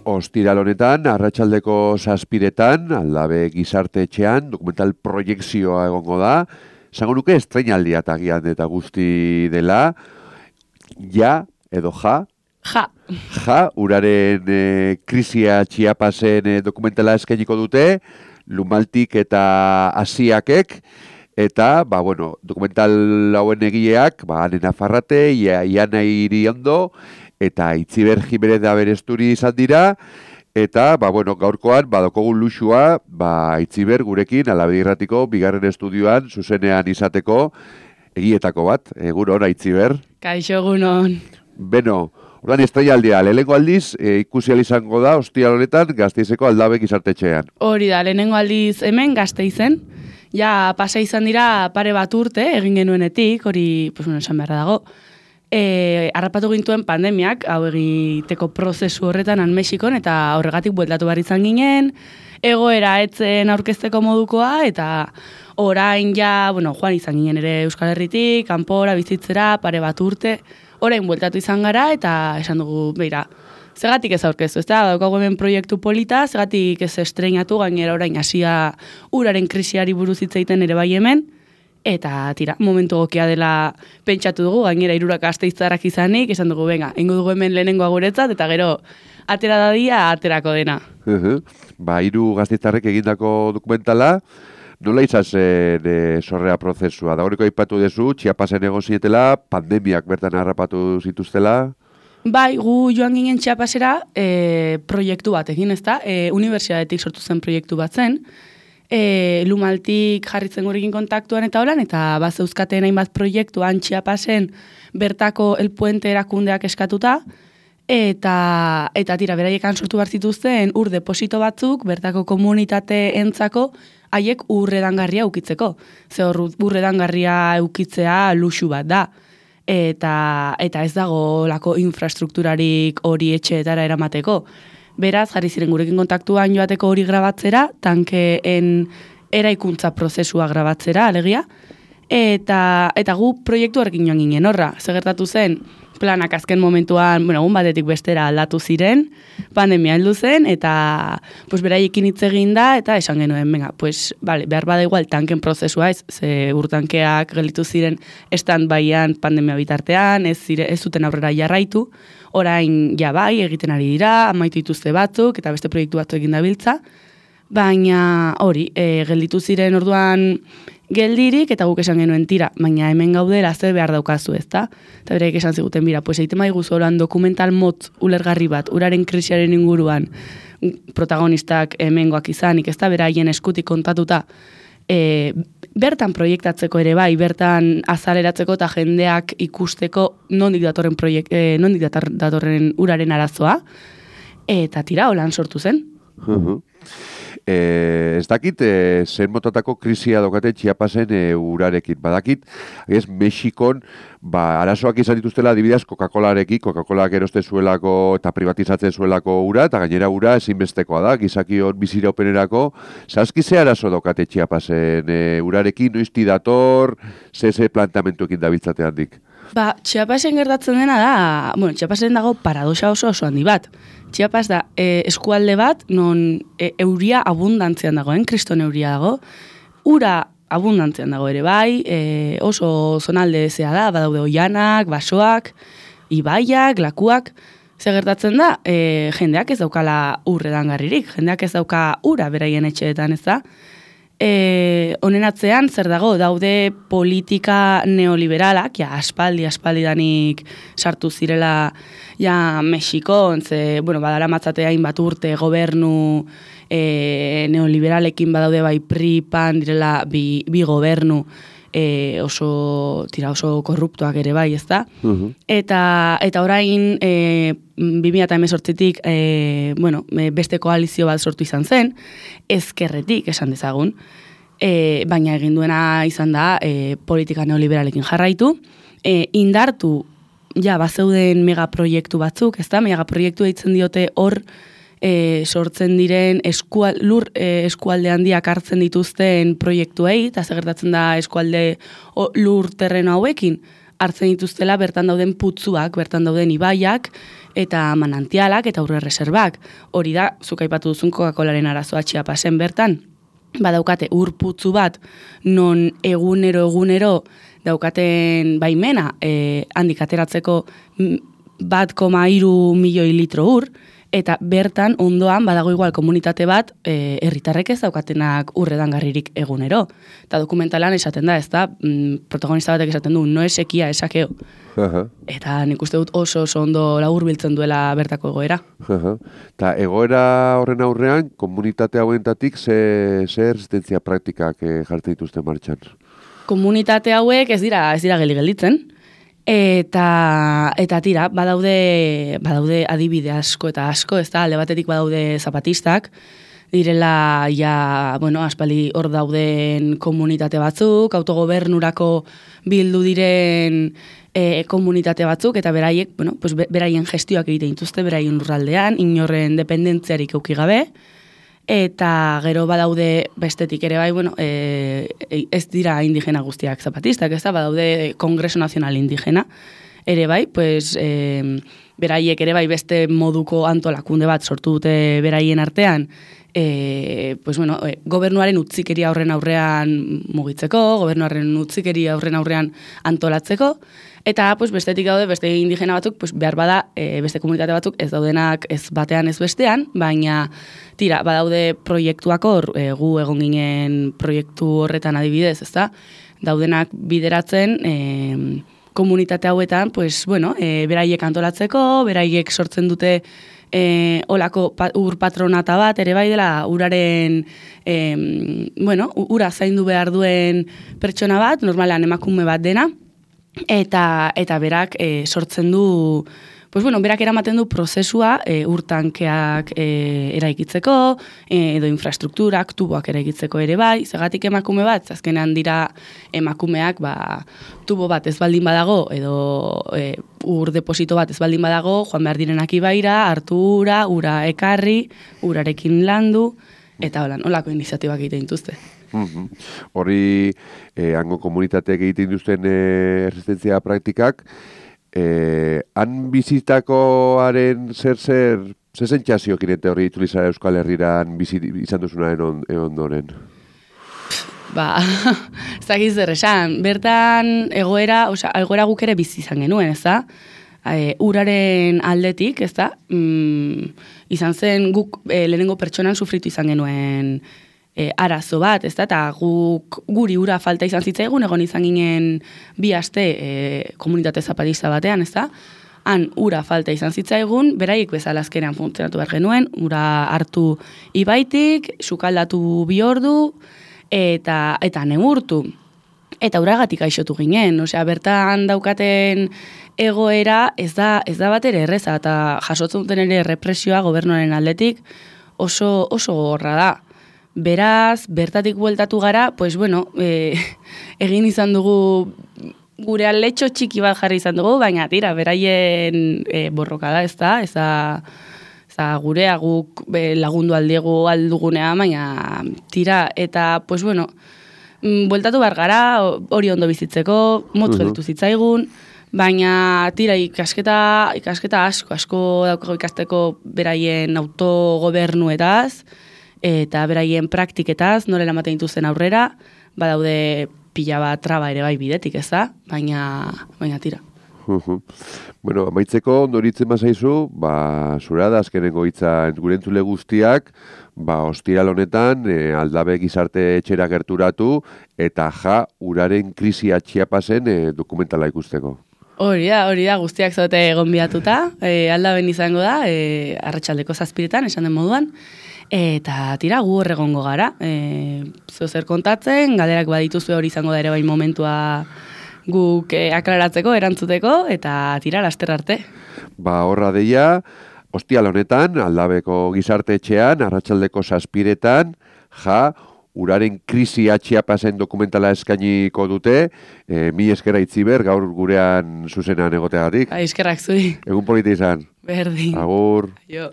ostiral honetan, arratsaldeko 7:00, Aldabe Gizarte Etxean, dokumental proiekzioa egongo da. Esango nuke estreinaldia tagian eta guzti dela. Ja, edo ja. Ja, uraren krisia Chiapasen dokumentala eskainiko dute, Lumaltik eta Asiakek. Eta, dokumental hauen egileak, Ane Nafarrate, Iana Iriondo, eta Itziber Jimenez da beresturi izan dira, eta, gaurkoan, badokogun luxua, Itziber gurekin, Alabedi Irratiko, bigarren estudioan, zuzenean izateko, egietako bat. Egunon, Itziber. Kaixo, egunon. Beno, ordan estreinaldia, lehenengo aldiz, ikusi izango da, ostiral honetan, Gasteizeko Aldabe Gizarte Etxean. Hori da, lehenengo aldiz hemen Gasteizen, ja pasa izan dira pare bat urte, egin genuenetik, hori, esan beharra dago, harrapatu gintuen pandemiak, hau egiteko prozesu horretan han Mexikon, eta horregatik bueltatu behar izan ginen, egoera etzen aurkezteko modukoa, eta orain ja, joan izan ginen ere Euskal Herritik, kanpora, bizitzera, pare bat urte, orain bueltatu izan gara, eta esan dugu, beira, zegatik ez aurkeztu, ez da, daukagu hemen proiektu polita, zegatik ez estreinatu, gainera orain hasia uraren krisiari buruz hitz egiten ere bai hemen, eta tira, momentu gokia dela pentsatu dugu, gainera 3 gasteiztarrak izanik, esan dugu, venga, ingo dugu hemen lehenengoa guretzat, eta gero, atera dadia, aterako dena. 3 gasteiztarrek egindako dokumentala, nola izan zen sorrea prozesua? Dagoeneko aipatu duzu, Chiapasen egon zinetela, pandemiak bertan harrapatu zituztela? Bai, gu joan ginen Chiapasera proiektu bat egin, ezta? Unibertsitatetik sortu zen proiektu bat zen. Lumaltik jarritzen gurekin kontaktuan eta holan, eta bazeuzkaten hainbat proiektuan Chiapasen bertako El Puente erakundeak eskatuta, eta tira, beraiekan sortu behar zituzten ur deposito batzuk, bertako komunitate entzako, haiek urredangarria ukitzeko. Ze hor urredangarria ukitzea luxu bat da. Eta ez dago lako infrastrukturarik hori etxeetara eramateko. Beraz, jarri ziren gurekin kontaktuan joateko hori grabatzera, tankeen eraikuntza prozesua grabatzera, alegia, eta gu proiektu horrekin joan ginen horra. Segertatu zen, planak azken momentuan, egun batetik bestera aldatu ziren, pandemia heldu zen, eta beraiekin hitz egin da, eta esan genuen, behar bada igual tanken prozesua ez, ze urtankeak gelditu ziren stand-byan pandemia bitartean, ez zuten aurrera jarraitu, orain bai, egiten ari dira, amaitu dituzte batzuk, eta beste proiektu batzuk egin dabiltza, baina hori, gelditu ziren orduan geldirik, eta guk esan genuen tira, baina hemen gaudela zer behar daukazu, ezta? Eta bereik esan ziguten, egiten maigu zoran dokumental motz ulergarri bat, uraren krisiaren inguruan, protagonistak hemengoak izanik, ezta, beraien eskutik kontatuta, bertan proiektatzeko ere bai, bertan azaleratzeko eta jendeak ikusteko nondik datorren uraren arazoa, eta tira, holan sortu zen. Ez dakit, zen motatako krisia dokate Chiapasen urarekin. Badakit, Mexikon, arazoak izan dituztela adibidez Coca-Colarekin, Coca-Colak eroste zuelako eta privatizatzen zuelako ura, eta gainera ura ezinbestekoa da, gizakion biziraupenerako. Zazki ze arazo dokate Chiapasen urarekin, noizti dator, ze plantamentuekin dabiltzate handik? Chiapasen gertatzen dena da, Chiapasen dago paradoxa oso handi bat. Chiapas da eskualde bat, non euria abundantzian dagoen, kriston euria dago, ura abundantzian dago ere bai, oso zonalde zea da, badaude oianak, basoak, ibaiak, lakuak, ze gertatzen da, jendeak ez daukala urredangarririk, jendeak ez dauka ura beraien etxeetan, ez da? Honen atzean, zer dago, daude politika neoliberalak, aspaldidanik sartu zirela Mexikon, badara matzatea hainbat urte gobernu neoliberalekin badaude bai PRI, PAN direla bi gobernu oso korruptuak ere bai, ezta? Eta orain 2018tik beste koalizio bat sortu izan zen, ezkerretik esan dezagun, baina egin duena izan da politika neoliberalekin jarraitu, indartu bazeuden megaproiektu batzuk, ezta? Megaproiektu deitzen diote hor sortzen diren eskualde handiak hartzen dituzten proiektuei, eta gertatzen da eskualde lur terreno hauekin hartzen dituztela bertan dauden putzuak, bertan dauden ibaiak, eta manantialak eta aurre reserbak. Hori da, zuk aipatu duzun Coca-Colaren arazoa Chiapasen bertan, badaukate urputzu bat non egunero daukaten baimena handik ateratzeko 1,3 milioi litro ur, eta bertan ondoan badago igual komunitate bat herritarrek ez daukatenak urredangarririk egunero. Eta dokumentalan esaten da, ez da, protagonista batek esaten du, no esekia esakeo. Eta nik uste dut oso ondo laburbiltzen duela bertako egoera. Eta egoera horren aurrean, komunitate hauentatik ze erresistentzia praktikak jartzen dituzte martxan? Komunitate hauek ez dira gelditzen. Eta tira, badaude adibide asko eta asko, ez da, alde batetik badaude zapatistak, direla, aspaldi hor dauden komunitate batzuk, autogobernurako bildu diren komunitate batzuk, eta beraiek, beraien gestioak egiten dituzte, beraien lurraldean, inorren dependentziarik eduki gabe, eta gero badaude bestetik ere bai, ez dira indigena guztiak zapatistak, ez da, badaude Kongreso Nazional Indigena, ere bai, beraiek ere bai beste moduko antolakunde bat sortu dute beraien artean, gobernuaren utzikeria horren aurrean mugitzeko, gobernuaren utzikeria horren aurrean antolatzeko, eta bestetik daude, beste indigena batzuk, behar bada, beste komunitate batzuk ez daudenak ez batean ez bestean, baina tira, badaude proiektuak hor, gu egon ginen proiektu horretan adibidez, ezta? Daudenak bideratzen komunitate hauetan, beraiek antolatzeko, beraiek sortzen dute olako ur patronata bat, ere bai dela uraren, ura zaindu behar duen pertsona bat, normalean emakume bat dena, eta berak sortzen du, berak eramaten du prozesua urtankeak eraikitzeko, edo infrastrukturak, tuboak eraikitzeko ere bai, zergatik emakume bat, azkenean dira emakumeak, tubo bat ez baldin badago, edo ur deposito bat ez baldin badago, joan behar direnak ibaira, hartu ura ekarri, urarekin landu, eta holako iniziatibak egiten dituzte. Hori, hango komunitateak egiten duzten erresistentzia praktikak, han bizitakoaren zer sentsazio kirente horri itzulizara Euskal Herriran izan duzunaren ondoren? Ez dakiz zer esan, bertan egoera guk ere bizi izan genuen, ez da? Uraren aldetik, ez da? Izan zen guk lehenengo pertsonan sufritu izan genuen arazo bat, ez da, eta guri ura falta izan zitzaigun, egon izan ginen 2 aste komunitate zapatista batean, ez da, han ura falta izan zitzaigun, beraiek bezala azkenean funtzionatu behar genuen, ura hartu ibaitik, sukaldatu 2 ordu, eta neurtu. Eta uragatik gaixotu ginen, bertan daukaten egoera ez da bat ere erreza, eta jasotzen duten ere represioa gobernuaren aldetik oso gogorra da. Beraz, bertatik bueltatu gara, egin izan dugu gure aletxo txiki bat jarri izan dugu, baina tira, beraien borroka da, ez da, gurea guk lagundu aldugunea, baina tira, eta, bueltatu behar gara, hori ondo bizitzeko, motz gelditu zitzaigun, baina tira, ikasketa asko daukago ikasteko beraien autogobernuetaz, eta beraien praktiketaz, noren ematen dituzten aurrera, badaude pila bat traba ere bai bidetik, ez da? Baina tira. Amaitzeko, ondoritzen bazaizu, zura da azkenengo hitza gure entzule guztiak, ostiral honetan, Aldabe gizarte etxera gerturatu, eta uraren krisia Chiapasen dokumentala ikusteko. Hori da, guztiak zaute gonbidatuta, Aldaben izango da, arratsaldeko 7:00, esan den moduan, eta tira, gu horregongo gara, zer kontatzen, galderak badituzu hori izango da ere bai momentua guk aklaratzeko, erantzuteko, eta tira, laster arte. Horra deia, ostial honetan, Aldabeko gizarte etxean, arratsaldeko 7:00, uraren krisia Chiapasen dokumentala eskainiko dute, mi eskera Itziber, gaur gurean zuzenean egoteagatik. Eskerrak zuri. Egun polita izan. Berdin. Agur. Jo.